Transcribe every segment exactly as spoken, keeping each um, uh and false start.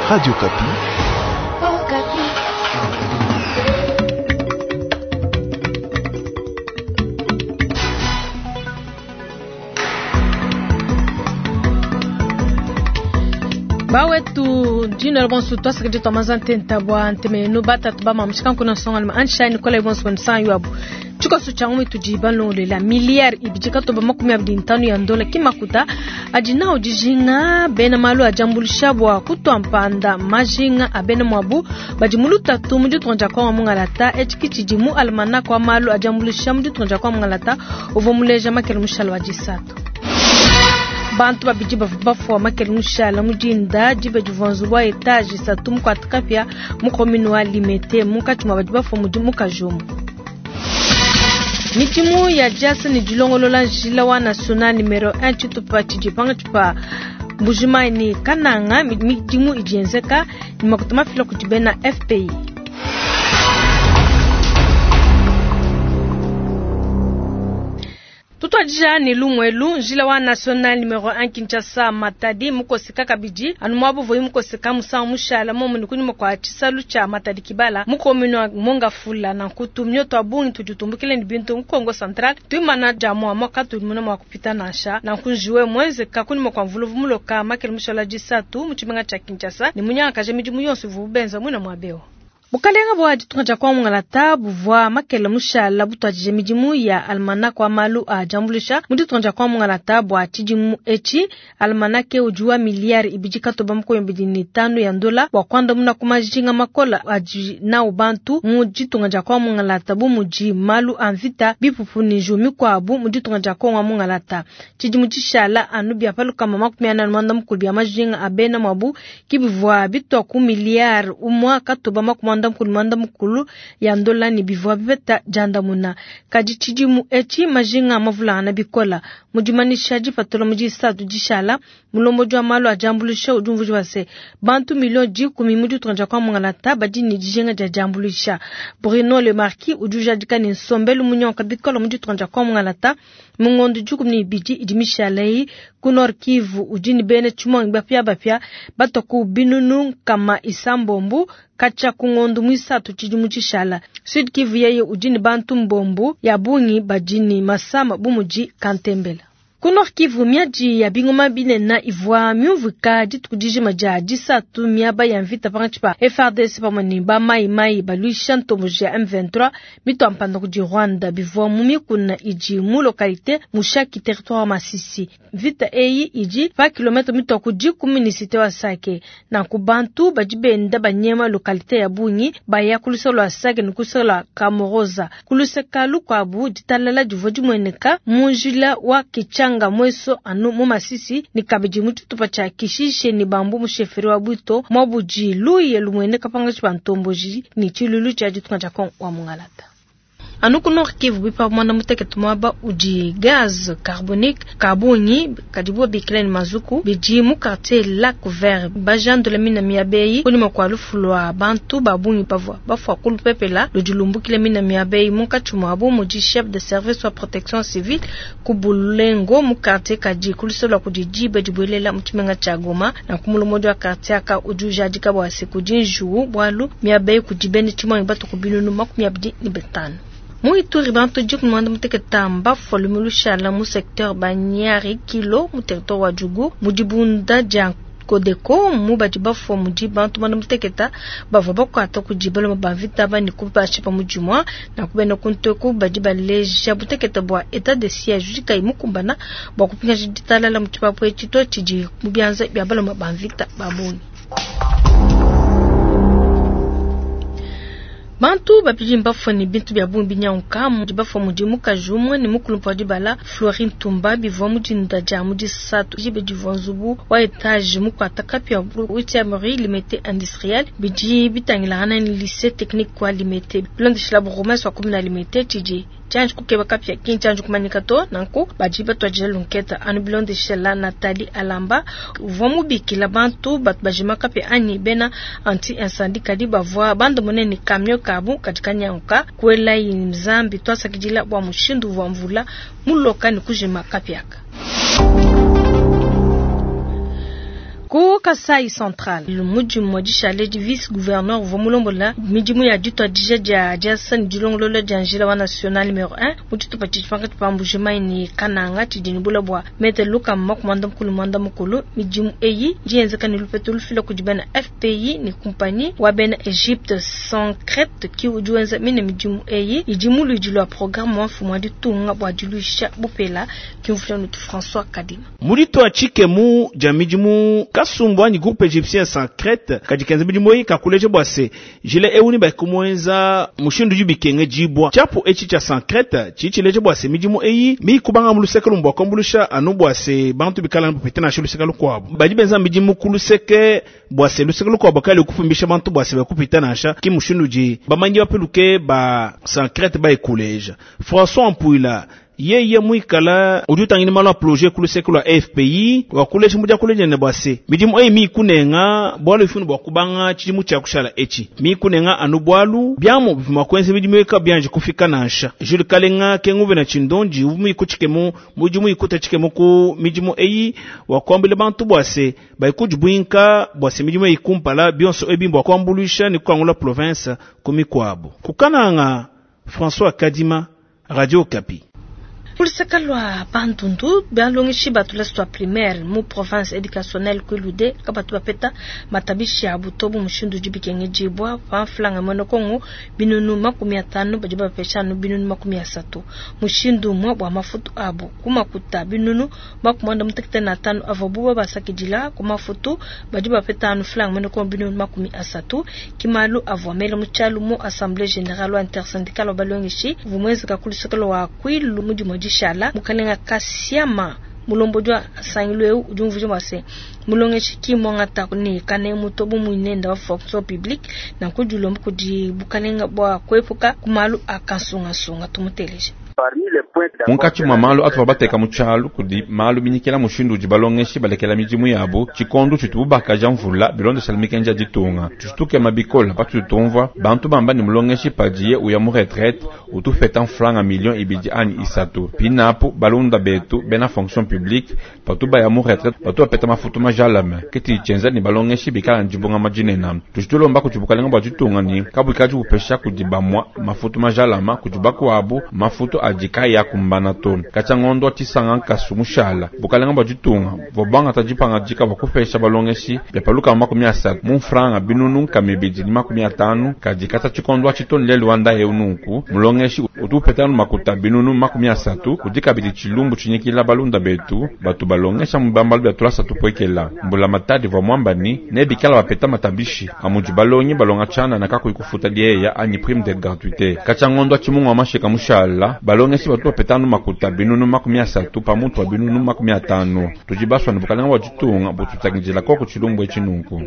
Radio Okapi. Bawetu jina bonso twasakidi twamaza ntenta bwa ntemenu batatu bamamushika nkuna nsonga anshani kola bonso nsan yabu tshikoso tshia ngumi tudi balongolela miliyari ibidi katoba makumi abidi ntanu ya ndola kimakuta adi nawo dijinga bena malu ajambulisha bwa kutwa mpanda majinga abena mwabu badi mu lutatu mu ditunga dia Kongo mungalata etshi tshidi mu almanach wa malu ajambulisha mu ditunga dia Kongo mungalata uvua muleja makele mushala wa disatu. Bantu babidi bavua bafua makele mushala mu dinda diba divua nzubu wa etage isatu mukuata kapia mu commune wa Limete munkatshi mua badi bafua mudi mukaji umue. Midimu ya diasa ne dilongolola njila wa national numero un tshitupa tshidi pankatshi pa Mbujimayi ne Kananga midimu idi yenzeka ne makuta mafila kudi bena F P I. Tutwadija ne lumwelu njila wa national numero un Kinshasa Matadi mukoseka kabidi anu mwabu voyi mukoseka musangu mushala momu ne kunyuma kwa tshisalu tshia Matadi Kibala mu commune wa Mongafula na nkutu mioto abungi tuditumbukile ne bintu mu Kongo Central tuimana dia mwa mwaka tulimuna mwa kupita nansha na nkunjiwe mweze kakunyuma kwa mvuluvu muloka makele mushala disatu mu tshimenga tshia Kinshasa ne munyanga kaje midimu yonso ivu benza mwina mwabeo. Bukalenga bwa ditunga dia Kongo mungalata buvua makele mushala butwadije midimu ya almanach wa malu a jambulisha mu ditunga dia Kongo mungalata bwa tshidimu etshi almanach udi wa miliyari ibidi katoba makumi abidi ne tanu ya ndola bua kuandamuna ku majinga makola adi nawu bantu mu ditunga dia Kongo mungalata bu mudi malu a mvita bipupu ne njiwu mikuabu mu ditunga dia Kongo mungalata. Tshidimu tshishala anu bia palukama makumi anayi na muanda mukulu bia majinga a bena mwabu kibivua bitua ku miliyari umua katoba makumi muanda mukulu muanda mukulu ya ndola ne bivua bipeta diandamuna. Kadi tshidimu etshi majinga mavulangana bikola mudimanisha dipatula mu disatu dishala mulombodi wa malu a diambuluisha udi umvuija bua se bantu milioni dikumi mu ditunga dia Kongo mungalata badi ne dijinga dia diambuluisha. Bruno Le Marquis udi ujadika ne nsombelu munyonka bikola mu ditunga dia Kongo mungalata mu ngondo dikumi ne ibidi idi mishala eyi ku Nord Kivu udi ne bena tshimuangi bapia bapia batua ku binunu nkama isambombu katshia ku ngondo muisatu tshidimu tshishala. Sud Kivu yeye udi ne bantu mbombu ya bungi badi ne masama bu mudi kantembela. Ku Nord Kivu miadi ya bingoma binene ivua miumvuika dituku dijima dia disatu miaba ya mvita pankatshi pa F R D C pamue ne ba mai mai baluisha ntomboji ya M vingt-trois mitua mpanda kudi Rwanda bivua mu mikuna idi mu localité Mushaki territoire wa Masisi. Mvita eyi idi pa kilomètre mitua ku dikumi ne cité wa Sake. Nanku bantu badi benda banyema localité ya bungi baya ku luseke lua Sake ne ku luseke lua Kamoroza. Ku luseke lukuabu ditalala divua dimueneka mu njila wa Kichanga mweso anu mu Masisi ni kabidi mu tshitupa tshia Kishishe ni bambu mu sheferi wa Bwito mwabudi luye lumueneka pankatshi pa ntomboji ni tshilulu tshia ditunga dia Kongo wa mungalata. Anu ku Nord Kivu bipa muanda mutekete muaba udi gaz carbonique kabungi kadibu bikila ne mazuku bidi mu quartier Lac Vert bajandula mina miabeyi kunyima kua lufu lua bantu babungi bavua bafua ku lupepela ludi lumbukile mina miabeyi munkatshi muabu mudi chef de service wa protection civile ku Bulengo mu quartier kadi ku luseke lua kudi diba dibuelela mu tshimenga tshia Goma na ku mulomodi wa quartier aka udi ujadika bua se kudi njuwu bualu miabeyi kudi bene tshimuangi batu ku binunu makumi abidi ne bitanu. Mu Ituri bantu dikumi muanda mutekete mbafua lumu lushala mu secteur Banyari Kilo mu territoire wa Djugu mu dibunda dia Kodeko mu badi bafua mudi bantu muanda mutekete bavua bakuata kudi baloma ba mvita bani kubashipa mu dimua na kubena ku nteku badi baleja butekete bua etat de siège udi kayi mukumbana bua kupingaja ditalala mu tshipapu etshi to tshidi mu bianza bia baloma ba mvita ba bungi. Bantu babidi mbafua ne bintu bia bungi binyanguka mudi bafua mudi mukaji umue ne mukulumpa wa dibala Florine Tumba bivua mu dinda dia mu disatu dibe divua nzubu wa etage mukuata kapia huitième rue Limete industriel bidi bitangilangana ne lycée technique wa Limete bilondeshila bourgmestre wa commune ya Limete tshidi tshianji kukeba kapia ki ntshianji kumanyika to nanku badi batuadija lunketa anu bilondeshila Nathalie Alamba uvua mubikila bantu batu bajima kapia anyi bena anti incendie kadi bavua bandamune ne camion kabu kadi kanyanguka kuela nzambi twasakidila bua mushindu uvua mvula muloka ne kujima kapiaka. Ku Kasai Central, mudimu wa dishale di vice gouverneur uvua mulombola midimu ya dituadija dia diasa ne dilongolola dia njila wa national numero un mu tshitupa tshidi pankatshi pa Mbujimayi ne Kananga tshidi ne bule bua mètre lukama makumi muanda mukulu muanda mukulu. Midimu eyi idi yenzeka ne lupetu lufila kudi bena F P I ne kumpanyi wa bena Egypte Sancrete ki udi wenza mine midimu eyi idi mu luidi lua programme wa mfumu wa ditunga bua diluisha bupela kimvuila nutu François Kadima. Mu ditua tshikemu dia midimu kasumbu anyi groupe égyptien Sancrete kadi kenza midimu eyi kakuleja bua se njila ewu ne bakumuenza mushindu udi bikengedibua tshiapu etshi tshia Sancrete tshidi tshileja bua se midimu eyi mikubanga mu luseke lumue bua kuambuluisha anu bua se bantu bikala bapete nansha luseke lukuabu badi benza midimu ku luseke bua se luseke lukuabu kali kufumbisha bantu bua se bakupita nansha ki mushindu udi bamanyi bapeluke ba Sancrete bayikuleja. François Mpuila yeye muikala udi utangila malu a projet ku luseke lua F P I wakuleja mudi akuleja ne bua se midimu eyi mikunenga bualu ifunu bua kubanga tshidimu tshia kushala etshi mikunenga anu bualu biamu bivua kuenza midimu eyi kabianji kufika nansha. Jules Kalenga kenguve na tshindondi uvu muikutshikemu mudimu ikuta tshikemu ku midimu eyi wakuambila bantu bua se baikudi buinka bua se midimu eyi kumpala bionso ebi bua kuambuluisha ne kuangula province ku mikuabu kukananga. François Kadima, Radio Okapi. Kuluseka lua Bandundu balongeshi ba tulasa tua primaire mu province éducationnelle Kwilu kabatu bapeta matabishi abu to bu mushindu udi bikengedibua pa mfulanga muena Kongo binunu makumi atanu badi bapesha anu binunu makumi asatu mushindu umue bua mafutu abu ku makuta binunu makumi muanda mutekete na atanu avuabu babasakidila ku mafutu badi bapeta anu fulanga muena Kongo binunu makumi asatu kimalu avua mele mu tshialu mu assemblée générale wa intersyndicale wa balongeshi uvua muenzeka ku luseke lua Kwilu mu dimue dishala. Mukalenga Kasiama mulombodi wa nsangilu eu udi umvuija bua se mulongeshi ki muangata ne kanemu to bu muinenda wa fonction publique nanku dilomba kudi bukalenga bua kuepuka ku malu a kansungasunga. Tumuteleje. Munkatshi mua malu atuvua bateka mu tshialu kudi malu minyikila mushindu udi balongeshi balekela midimu yabu tshikondu tshitubu bakaja mvula bilondeshela mikenji ya ditunga. Tuditukema bikola patudi tumvua bantu bamba ne mulongeshi padiye uya mu retraite utupeta mfranga million ibidi anyi isatu. Pinapu balunda betu bena fonction publique patu baya mu retraite batu bapeta mafutu majalame ke tshidi ne balongeshi bikala ne dibungama dinene. Tudi tulomba kudi bukalenga bua ditunga ne kabuikadi bupesha kudi bamua mafutu majalama kudi bakuabu mafutu adi kayi akumbana to. Katshia ngondo tshisanga nkasu mushala bukalenga bua ditunga bua dipangadika bua kupesha balongeshi bia paluka makumi asatu mu mfranga binunu nkama ibidi ne makumi atanu kadi katshia tshikondo atshi to ne lelu wa ndaye nunku mulongeshi utu upeta makuta binunu makumi asatu. Kudi kabidi tshilumbu tshinyikila balunda betu batu balongesha mu bambalo bia tulasa tupuekela. Mbula matadi vua muamba ni nebikala bapeta matabishi amudi balongi balonga tshianana kakuyi kufuta lieya anyi prime de gratuité. Katshia ngondo tshimungu wa mashika mushala balongeshi batu bapeta anu makuta binunu makumi asatu pamutu wa binunu makumi atanu. Tudi basua ne bukalenga bua ditunga bututangidila koko tshilumbu etshi nunku.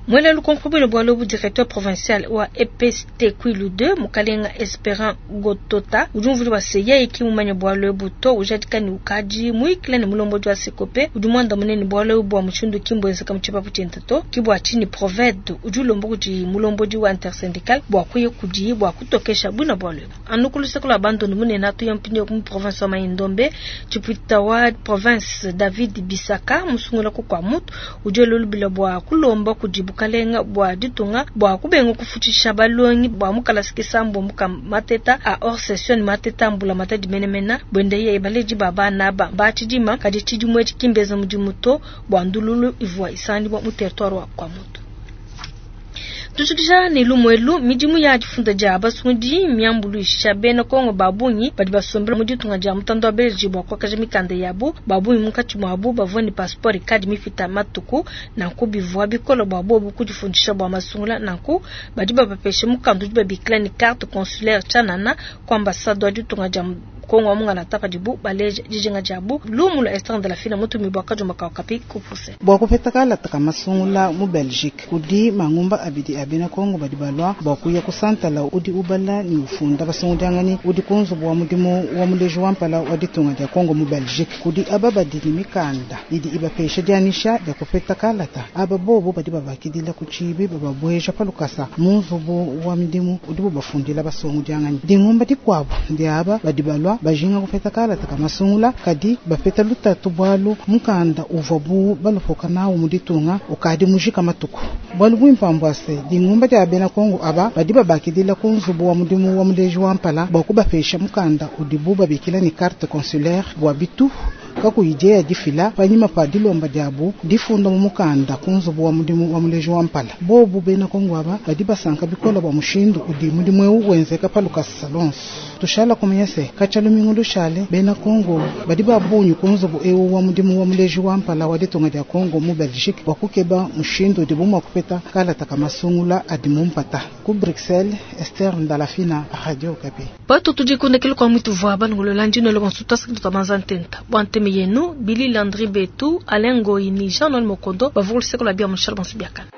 Mwela lukonko bwino bwa lobu directeur provincial wa E P S T Kwilu deux mukalenga Esperant Gotota udi umvuli wa se yeye ki mumanya bwa lobu to ujadika ni ukadi muikile ne mulombodi wa Sekope udi mwanda munene bwa lobu bwa mushindu kimbwenzeka mu tshipapu tshiende to ki bua tshini proved udi ulomba kudi mulombodi wa intersyndical bua kuya kudi bua kutokesha bwina bwa lobu anu ku luseke lua Bandundu munene atuya mpindieu mu province wa Mai-Ndombe. Tshipwita wa province David Bisaka musungula ku kwa mutu udi elolubila bua kulomba kudi bukalenga bua ditunga bua kubenga kufutshisha balongi bua mukalasa kisambo muka mateta a hors session mateta mbula matadi menemena bwende ye baledi ba bana ba batshidima kadi tshidimu etshi kimbeza mudimu to bua ndululu ivua isandibua mu territoire wa kwa mutu. Tushikisha ne lumuelu midimu ya difunda dia basungudi miambuluisha bena Kongo babungi badi basombela mu ditunga dia mutanda wa Belgique bua kuakaja mikanda yabu. Babungi munkatshi muabu bavua ne passeport ikadi mipita matuku nanku bivua bikola bua bobu kudifundisha bua masungula nanku badi babapesha mukanda udi babikila ne carte consulaire tshianana ku ambassade wa ditunga dia Kongo wa mungala padibu baleja dijinga diabu. Lumu lua Esther de la Fina mutumi bua kajuma ka Okapi kupuse. Bua kupeta kalata ka masungula mu Belgique kudi mangumba abidi a bena Kongo badi balua bua kuya kusantala udi ubala ni ufunda basungudianganyi udi ku nzubu wa mudimu wa muleji wa mpala wa ditunga dia Kongo mu Belgique. Kudi aba badi ne mikanda idi ibapesha dianyisha dia kupeta kalata aba bobo badi babakidila ku tshibi bababweja pa lukasa mu nzubu wa midimu udibu bafundila basungudianganyi. Dingumba dikuabu dia aba badi balua bajinga kupeta kalata ka masungula kadi bapeta lutatu bwalu mukanda uvwa bu balopoka nawu mu ditunga ukadi mujika matuku. Bwalu bwimpa mbwa se dingumba dia bena Kongo aba badi babakidila ku nzubu wa mudimu wa muleji wa mpala bwa kubapesha mukanda udibu babikila ni carte consulaire bwa bitu kakuyi dieya difila panyima pa dilomba diabu difunda mu mukanda ku nzubu wa mudimu wa muleji wa mpala. Bobu bena Kongo aba badi basanka bikola bwa mushindu udi mudimu eu wenzeka pa lukasa lonso. Tushala kumanya se katshia lumingu lushale bena Kongo badi babunyi ku nzubu eu wa mudimu wa muleji wa mpala wa ditunga dia Kongo mu Belgique bwa kukeba mushindu udibu mua kupeta kalata ka masungula adi mu mpata. Ku Bruxelles, Esther Ndalafina, Radio Okapi. Batu tudikundekele kwa mwitu vwa banungolola ndino lo bonso twasaka twabanza ntenta. Bwa nteme yenu Billy Landry Betu, Alain Ngoyi ni Jean-Noël Mokondo bavugulu seko la bia mushal bonso biakana.